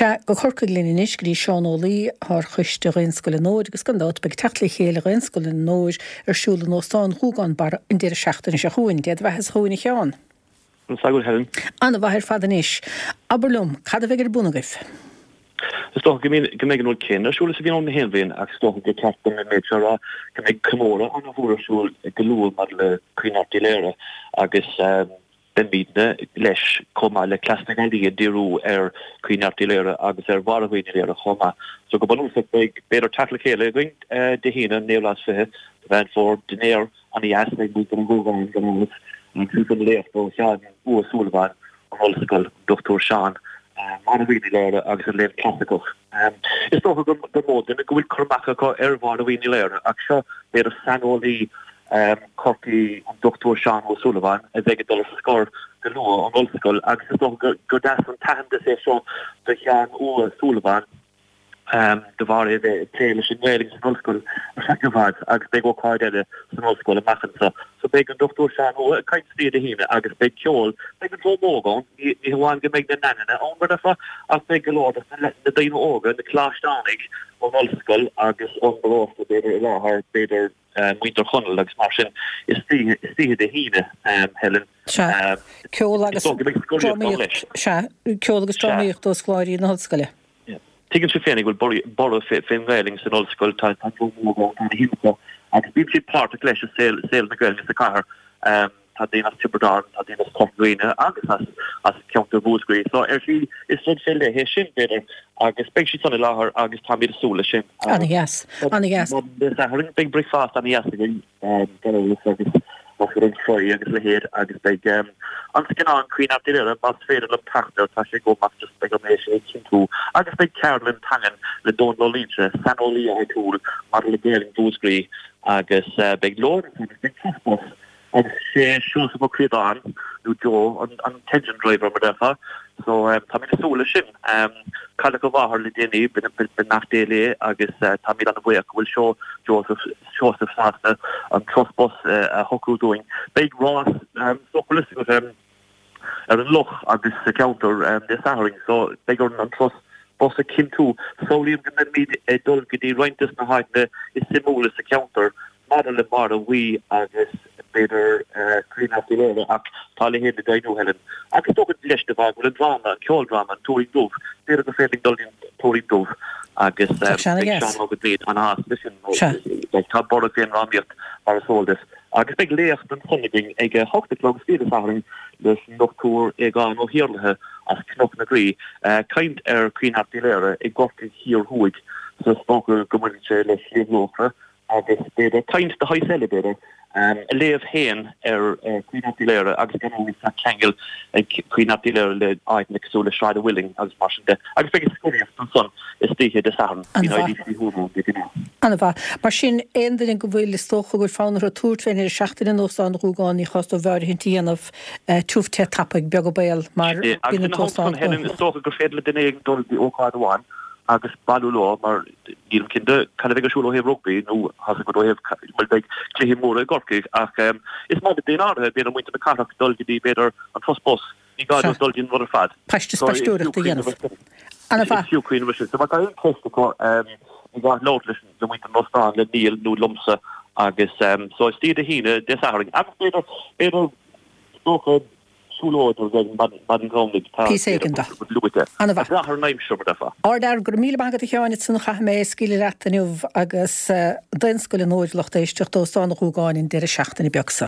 Sea, go Corcaigh linn anois, go dtí Seán Ó Laoi, atá ar choiste Ghaelscoil an Fhómhair, agus gan dabht beidh teacht le chéile Ghaelscoil an Fhómhair ar siúl in Óstán Ghúgán Barra an deireadh seachtaine seo chugainn. Dé do bheatha chugainn a Sheáin. Conas tá tú, Helen? An-mhaith ar fad anois. Abair liom, cad a bheidh ar bun agaibh? Is dócha go mbeidh an rud céanna ar siúl is a bhíonn ann na haon bhliain ach is dócha gur ceart dom an méid seo a rá, go mbeidh comóradh an-mhór ar siúl go luath maidir le Caoineadh Art Uí Laoghaire agus beimidne leis chomh maith le Cleas na Gealaí ag díriú ar Caoineadh Art Uí Laoghaire agus ar Mháire Bhuí Ní Laoghaire chomh maith. So go bunúsach beidh b'fhéidir teacht le chéile againn Dé hAoine an 29ú lá de Mheán Fómhair, dinnéar Ana-dheas ag muintir an Ghúgáin gan amhras, agus an léacht ó Sheán Ua Súilleabháin ón Ollscoil, an Dr Seán, Máire Bhuí Ní Laoghaire agus an Léann Clasaiceach. Is dócha gur mó duine go bhfuil cur amach acu ar Mháire Bhuí Ní Laoghaire ach seo b'fhéidir saineolaí Chorcaí, an Dr Seán Ó Súilleabháin, a bheidh ag dul ar scor go luath ón Ollscoil agus is dócha gur deas an t-aitheantas é seo do Sheán Ua Súilleabháin. de bharr é a bheith ag plé leis an nGaeilge san ollscoil ar feadh i bhfad agus beidh ócáid eile san ollscoil amach anseo. So beidh an Dr Seán Ua ag caint istoíche Dé hAoine agus beidh ceol, beidh an dream óg ann, ní hamháin go mbeidh na nananna ann mar a déarfá ach beidh go leor de na daoine óga, na coláisteánaigh ón ollscoil agus ón bparóiste b'fhéidir i láthair, b'fhéidir muintir Chonaill agus mar sin istoíche Dé hAoine, Helen. Sea, ceol agus drámaíocht, sea, ceol agus drámaíocht ó scoláirí na hollscoile. Tuigeann sibh féinig go bhfuil borradh fén nGaelainn san ollscoil, tá an dream óg ann, tá na himeachtaí agus bíonn siad páirteach leis i saol saol na Gaeilge sa chathair. Tá daoine as Tiobraid Árann, tá daoine as Corca Dhuibhne agus as as ceantar Mhúscraí. So ar shlí is rud fé leith é sin, b'fhéidir, agus beidh siad san i láthair agus táimid ag súil leis sin. Ana-dheas, ana-dheas. Dé Sathairn beidh bricfeasta ana-dheas againn. Gan amhras agus an fry agus a leithéid agus beidh an scannán Caoineadh Airt Uí Laoghaire más féidir liom teacht air, tá sé agam ach just beidh orm é sin a chinntiú agus beidh ceardlann teangan le Dónal Ó Loingsigh, saineolaí áitiúil maidir le Gaelainn Mhúscraí agus beidh lón ansan agus beidh turas bus agus sé Seosamh Ó Críodáin nó Joe an t-engine driver mar déarfá so táimid ag súil leis sin. Cailleadh a mháthair le déanaí, beannacht Dé léi agus táimid an-bhuíoch go bhfuil seo Joseph Seosamh sásta an turas bus a shocrú dúinn. Beidh rás so bhfuil fhios agat ar an loch agus sa cheantar Dé Sathairn so beidh orainn an turas bus a chinntiú. Samhlaím go mbeimid ag dul go dtí roinnt des na háiteanna is suimiúla sa cheantar maidir le Máire Bhuí agus b'fhéidir Caoineadh Airt Uí Laoghaire ach tá a leithéid le deimhniú, Helen. Agus is dócha leis de bharr go bhfuil an dráma, an ceoldráma, An Tuairín Dubh, b'fhéidir gur féidir linn dul dtí an Tuairín Dubh agus beidh Seán Óg Ó Duinn an-shásta leis sin nó tá borradh fén ndrámaíocht mar is eol duit. Agus beidh léacht ansan againn ag a hocht a chlog istoíche Dé Sathairn leis an Dr Aogán Ó hIarlaithe as Cnoc na Graí, caint ar Caoineadh Airt Uí Laoghaire i gCorcaigh Thiar Thuaidh so is dócha go mbaineann sé le Sliabh Luachra agus b'fhéidir caint de shaghas eile, b'fhéidir, a léamh féin ar Caoineadh Airt Uí Laoghaire agus gan amhras tá ceangal ag Caoineadh Airt Uí Laoghaire le áiteanna cosúil le Sráid an Mhuilinn agus mar sin de. Agus beidh an scoraíocht ansan istoíche Dé Sathairn, bíonn IDC Thuama de ghnáth. An-mhaith. Mar sin, aon duine go bhfuil, is dócha go bhfuil fonn orthu tabhairt fén ndeireadh seachtaine in Óstán an Ghúgáin, ní chás dóibh áirithint a dhéanamh, tiubh te tapaidh, beag an baol, mar bíonn an t-óstán gnóthach. Is dócha gur féidir le duine éigin dul go dtí ócáid amháin agus bailiú leo mar nílim cinnte cad a bheidh ar siúl ó thaobh rugbaí nó tá 's agat ó thaobh bhuel beidh cluichí móra i gCorcaigh ach is maith le daoine áirithe, b'fhéidir muintir na cathrach dul go dtí b'fhéidir an turas bus, ní gá dóibh dul dtí an rud ar fad. Paiste is spaisteoireacht a dhéanamh. An-mhaith. Is fiú cuimhneamh air sin. So má tá aon cheist acu ní gá labhairt leis le muintir an óstáin, le Niall nó liomsa agus so istoíche Dé hAoine, Dé Sathairn agus b'fhéidir b'fhéidir is dócha Siúlóid ar maidin Dhomhnaigh tá Píosa éigin de. luaite. An-mhaith. Ag brath ar an aimsir, mar déarfá. Ardfhear, go raibh míle maith agat a Sheáin, ansan chaithfidh mé scaoileadh leat inniu agus Daonscoil an Fhómhair lucht éisteachta Óstán an Ghúgáin an deireadh seachtaine beag seo.